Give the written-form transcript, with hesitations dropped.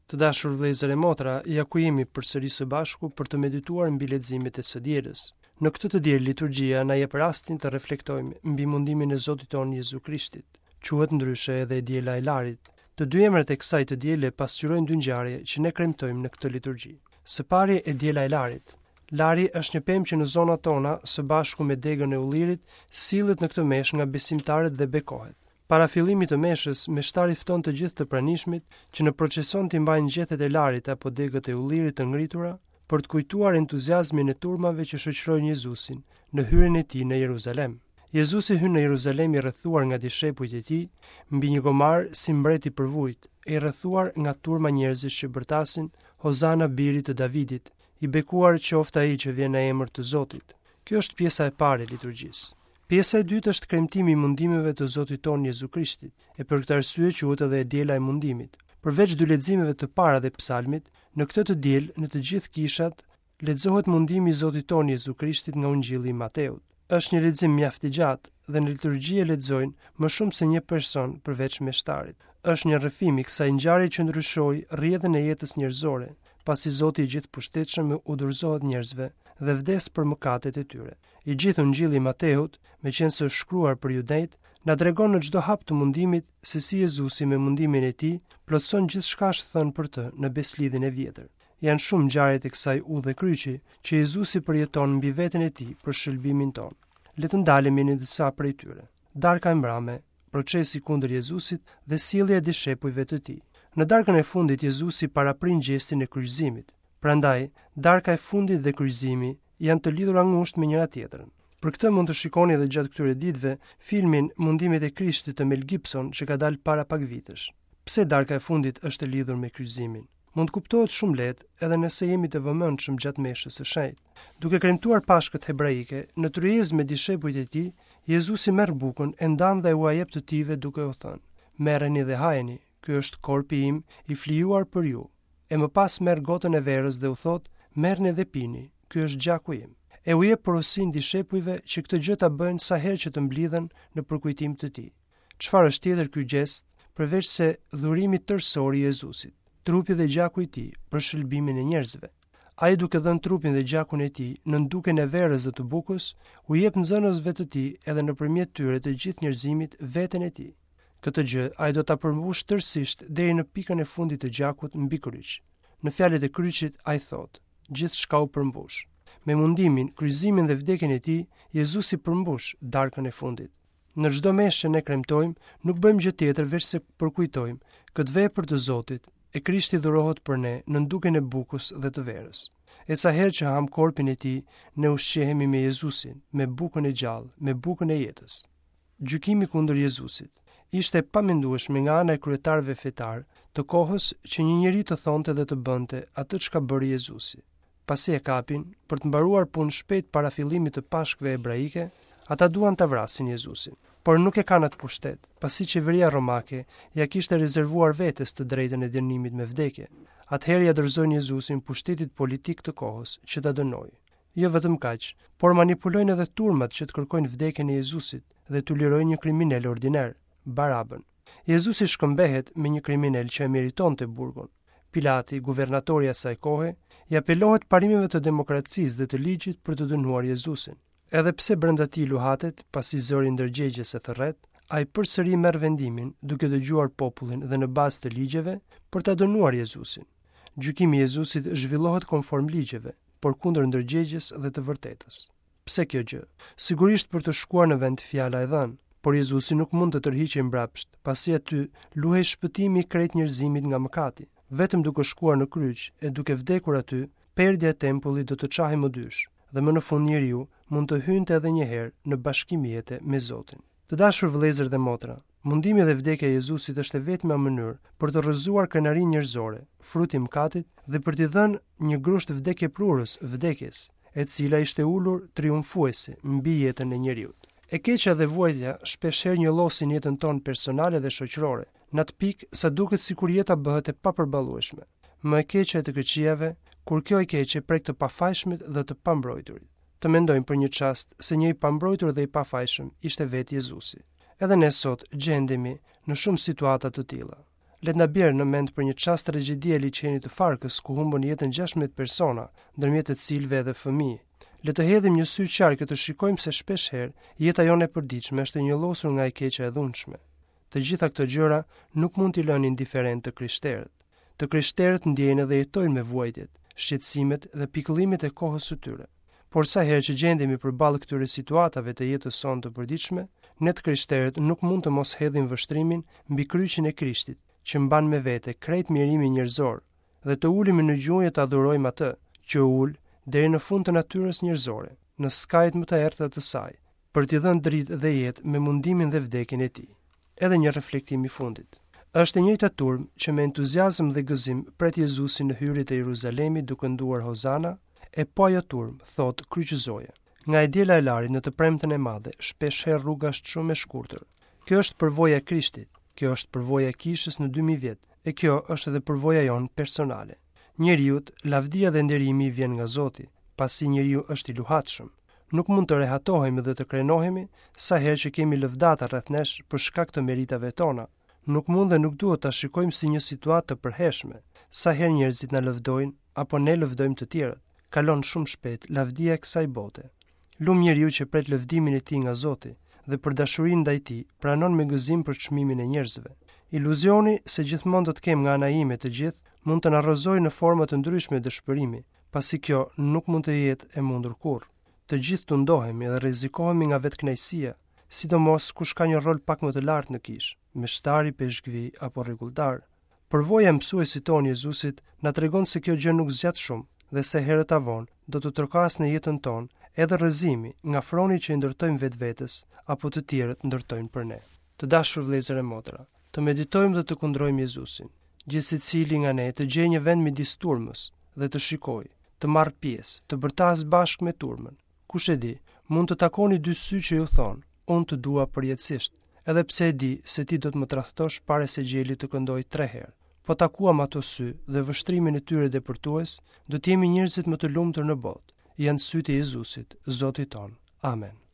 Të dashur vëllezër e motra, ja ku jemi përsëri së bashku për të medituar mbi leximet e së dielës. Në këtë të diel liturgjia na jep rastin të reflektojmë mbi mundimin e Zotit tonë Jezu Krishtit. Quhet ndryshe edhe e diela e Larit. Të dy emrat e kësaj të diele pasqyrojnë dy ngjarje që ne kremtojmë në këtë liturgji. Së pari e diela e Larit. Lari është një pemë që në zonat tona, së bashku me degën e ullirit, sillet në këtë meshë nga besimtarët dhe bekohet. Para fillimit të meshës, meshtari fton të gjithë të pranishmit që në procesion t'i mbajnë gjethet e larit apo degët e ullirit të ngritura për të kujtuar entuziazmin e turmave që shoqërojnë Jezusin në hyrjen e tij në Jeruzalem. Jezusi hyn në Jeruzalem i rrethuar nga dishepujt e tij, mbi një gomar si mbret i përvujt, e i rrethuar nga turma njerëzish që bërtasin Hozana birit të Davidit, i bekuar qoftë ai që vjen në emër të Zotit. Kjo është pjesa e parë e liturgjisë. Pjesa e dytë është kremtimi i mundimeve të Zotit tonë Jezu Krishtit, e për këtë arsye quhet edhe e diela e mundimit. Përveç dy leximeve të para dhe psalmit, në këtë të diel në të gjithë kishat lexohet mundimi i Zotit tonë Jezu Krishtit nga Ungjilli i Mateut. Është një lexim mjaft i gjatë dhe në liturgji e lexojnë më shumë se një person përveç meshtarit. Është një rrëfim i kësaj ngjarje që ndryshoi rrjedhën e jetës njerëzore, pasi Zoti i Gjithëpushtetshëm u dorëzohet njerëzve dhe vdes për mëkatet e tyre. I gjithë Ungjilli i Mateut, meqenëse është shkruar për judejtë, na tregon në çdo hap të mundimit se si Jezusi me mundimin e tij plotëson gjithçka është thënë për të në Besëlidhjen e Vjetër. Janë shumë ngjarjet e kësaj udhe kryqi që Jezusi përjeton mbi veten e tij për shëlbimin tonë. Le të ndalemi në disa prej tyre. Darka e mbrame, procesi kundër Jezusit dhe sjellja e dishepujve të tij. Në darkën e fundit Jezusi paraprin gjestin e kryqëzimit. Prandaj, darka e fundit dhe kryqëzimi janë të lidhura ngushtë me njëra-tjetrën. Për këtë mund të shikoni edhe gjatë këtyre ditëve filmin Mundimet e Krishtit të Mel Gibson që ka dalë para pak vitesh. Pse darka e fundit është e lidhur me kryqëzimin? Mund të kuptohet shumë lehtë edhe nëse jemi të vëmendshëm gjatë meshës së shenjtë. Duke kremtuar Pashkët hebraike, në tryezë me dishepujt e tij, Jezusi merr bukën, e ndan dhe ua jep të tijve duke u thënë: Merreni dhe hajeni, ky është korpi im i flijuar për ju. E më pas merr gotën e verës dhe u thotë, merrni dhe pini, ky është gjaku im. E u jep porosinë dishepujve që këtë gjë ta bëjnë sa herë që të mblidhen në përkujtim të tij. Çfarë është tjetër ky gjest, përveç se dhurimi tërësor i Jezusit, trupi dhe gjaku i tij për shëlbimin e njerëzve. Ai duke dhënë trupin dhe gjakun e tij nën dukjen e verës dhe të bukës, u jep nxënësve të tij edhe nëpërmjet tyre të gjithë njerëzimit veten e tij. Këtë gjë ai do ta përmbushë tërësisht deri në pikën e fundit të gjakut mbi kryq. Në fjalët e kryqit ai thotë: Gjithçka u përmbush. Me mundimin, kryqëzimin dhe vdekjen e tij, Jezusi përmbush darkën e fundit. Në çdo meshë që ne kremtojmë, nuk bëjmë gjë tjetër veçse përkujtojmë këtë vepër të Zotit, e Krishti dhurohet për ne nën dukjen e bukës dhe të verës. E sa herë që hamë korpin e tij, ne ushqehemi me Jezusin, me bukën e gjallë, me bukën e jetës. Gjykimi kundër Jezusit. Ishte e pamendueshme nga ana e kryetarëve fetarë të kohës që një njeri të thonte dhe të bënte atë çka bëri Jezusi. Pasi e kapin, për të mbaruar punë shpejt para fillimit të Pashkëve hebraike, ata duan ta vrasin Jezusin. Por nuk e kanë atë pushtet, pasi qeveria romake ia kishte rezervuar vetes të drejtën e dënimit me vdekje. Atëherë ia dorëzojnë Jezusin pushtetit politik të kohës që ta dënojë. Jo vetëm kaq, por manipulojnë edhe turmat që të kërkojnë vdekjen e Jezusit dhe t'u lirojnë një kriminel ordiner, Barabën. Jezusi shkëmbehet me një kriminel që e meritonte burgun. Pilati, guvernatori i asaj kohe, i apelohet parimeve të demokracisë dhe të ligjit për të dënuar Jezusin. Edhe pse brenda tij luhatet, pasi zëri i ndërgjegjes e thërret, ai përsëri merr vendimin, duke dëgjuar popullin dhe në bazë të ligjeve, për ta dënuar Jezusin. Gjykimi i Jezusit zhvillohet konform ligjeve, por kundër ndërgjegjes dhe të vërtetës. Pse kjo gjë? Sigurisht për të shkuar në vend fjala e dhënë, por Jezusi nuk mund të tërhiqej mbrapsht, pasi aty luhej shpëtimi i krejt njerëzimit nga mëkati. Vetëm duke shkuar në kryq e duke vdekur aty, perdja e tempullit do të çahej më dysh dhe më në fund njeriu mund të hynte edhe një herë në bashkim jete me Zotin. Të dashur vëllezër dhe motra, mundimi dhe vdekja e Jezusit është e vetmja mënyrë për të rrëzuar krenarinë njerëzore, frut i mëkatit dhe për t'i dhënë një grusht vdekjeprurës vdekjes, e cila ishte ulur triumfuese mbi jetën e njeriut. E keqja dhe vuajtja shpeshherë njollosin jetën tonë personale dhe shoqërore, në atë pikë sa duket sikur jeta bëhet e papërballueshme. Më e keqja e të këqijave, kur kjo e keqe prek të pafajshmit dhe të pambrojturit. Të mendojmë për një çast se një i pambrojtur dhe i pafajshëm ishte vetë Jezusi. Edhe ne sot gjendemi në shumë situata të tilla. Le të na bjerë në mend për një çast tragjedia e liqenit të Farkës ku humbën jetën 16 persona, ndërmjet të cilëve edhe fëmijë. Le të hedhim një sy qark e të shikojmë se shpesh herë jeta jonë e përditshme është e njollosur nga e keqja e dhunshme. Të gjitha këto gjëra nuk mund t'i lënë indiferentë të krishterët. Të krishterët ndjejnë dhe jetojnë me vuajtjet, shqetësimet dhe pikëllimet e kohës së tyre. Por sa herë që gjendemi përballë këtyre situatave të jetës sonë të përditshme, ne të krishterët nuk mund të mos hedhim vështrimin mbi kryqin e Krishtit, që mban me vete krejt mjerimin njerëzor, dhe të ulemi në gjunjë të adhurojmë atë, që u ul deri në fund të natyrës njerëzore, në skajet më të errëta të saj, për t'i dhënë dritë dhe jetë me mundimin dhe vdekjen e tij. Edhe një reflektim i fundit. Është e njëjta turmë që me entuziazëm dhe gëzim pret Jezusin në hyrje të Jeruzalemit duke kënduar Hozana, e po ajo turmë thotë kryqëzoje. Nga e diela e Larit në të premten e madhe, shpesh herë rruga është shumë e shkurtër. Kjo është përvoja e Krishtit, kjo është përvoja e kishës në 2000 vjet, e kjo është edhe përvoja jonë personale. Njeriut, lavdia dhe nderimi i vjen nga Zoti, pasi njeriu është i luhatshëm. Nuk mund të rehatohemi dhe të krenohemi sa herë që kemi lëvdata rreth nesh për shkak të meritave tona. Nuk mund dhe nuk duhet ta shikojmë si një situatë të përhershme, sa herë njerëzit na lëvdojnë apo ne lëvdojmë të tjerët. Kalon shumë shpejt lavdia e kësaj bote. Lum njeriu që pret lëvdimin e tij nga Zoti dhe për dashurinë ndaj tij pranon me gëzim përçmimin e njerëzve. Iluzioni se gjithmonë do të kem nga ana ime të gjithë mund të na rrëzojë në forma të ndryshme dëshpërimi, pasi kjo nuk mund të jetë e mundur kurrë. Të gjithë tundohemi dhe rrezikohemi nga vetëkënaqësia, sidomos kush ka një rol pak më të lartë në kishë, meshtari, peshkvi apo rregulltar. Përvoja e mësuesit tonë Jezusit na tregon se kjo gjë nuk zgjat shumë dhe se herët a vonë do të trokasë në jetën tonë edhe rrëzimi nga froni që i ndërtojmë vetvetes apo të tjerët ndërtojnë për ne. Të dashur vëllezër e motra, të meditojmë dhe të kundrojmë Jezusin. Gjithsecili nga ne të gjejë një vend midis turmës dhe të shikojë, të marrë pjesë, të bërtasë bashkë me turmën. Kush e di, mund të takoni dy sy që ju thonë, unë të dua përjetësisht, edhe pse e di se ti do të më tradhtosh para se gjeli të këndojë tre herë. Po takuam ato sy dhe vështrimin e tyre depërtues, do të jemi njerëzit më të lumtur në botë. Janë sytë e Jezusit, Zotit tonë. Amen.